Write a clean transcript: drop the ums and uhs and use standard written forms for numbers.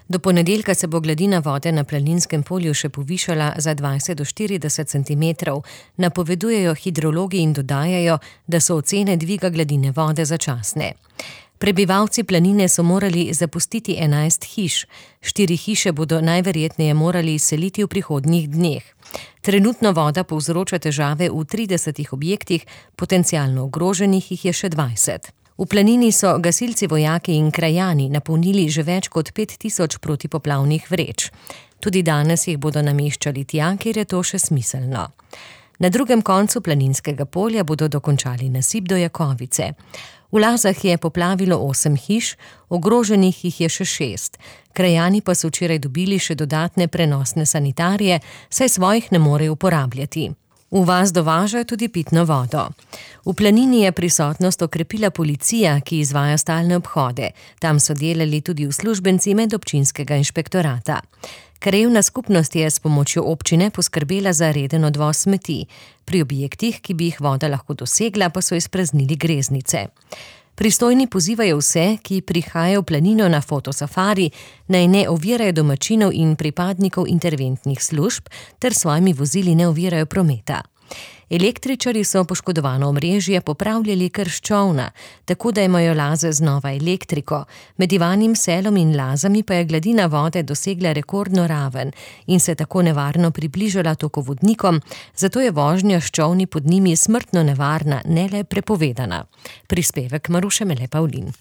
Do ponedeljka se bo gladina vode na Planinskem polju še povišala za 20 do 40 centimetrov, napovedujejo hidrologi in dodajajo, da so ocene dviga gladine vode začasne. Prebivalci Planine so morali zapustiti 11 hiš. 4 hiše bodo najverjetneje morali izseliti v prihodnjih dneh. Trenutno voda povzroča težave v 30 objektih, potencialno ogroženih jih je še 20. V Planini so gasilci, vojaki in krajani napolnili že več kot 5000 protipoplavnih vreč. Tudi danes jih bodo nameščali tja, kjer je to še smiselno. Na drugem koncu Planinskega polja bodo dokončali nasip do Jakovice. V Lazah je poplavilo 8 hiš, ogroženih jih je še 6. Krajani pa so včeraj dobili še dodatne prenosne sanitarije, saj svojih ne morejo uporabljati. V vas dovažajo tudi pitno vodo. V Planini je prisotnost okrepila policija, ki izvaja stalne obhode. Tam so delali tudi uslužbenci medobčinskega inšpektorata. Krajevna skupnost je s pomočjo občine poskrbela za reden odvoz smeti. Pri objektih, ki bi jih voda lahko dosegla, pa so izpraznili greznice. Pristojni pozivajo vse, ki prihajajo v Planino na fotosafari, naj ne ovirajo domačinov in pripadnikov interventnih služb ter svojimi vozili ne ovirajo prometa. Električarji so poškodovano omrežje popravljali kar s čolna, tako da imajo Laze znova elektriko. Med Ivanim Selom in Lazami pa je gladina vode dosegla rekordno raven in se tako nevarno približala tokovodnikom, zato je vožnja s čolni pod njimi smrtno nevarna, ne le prepovedana. Prispevek Maruše Mele Pavlin.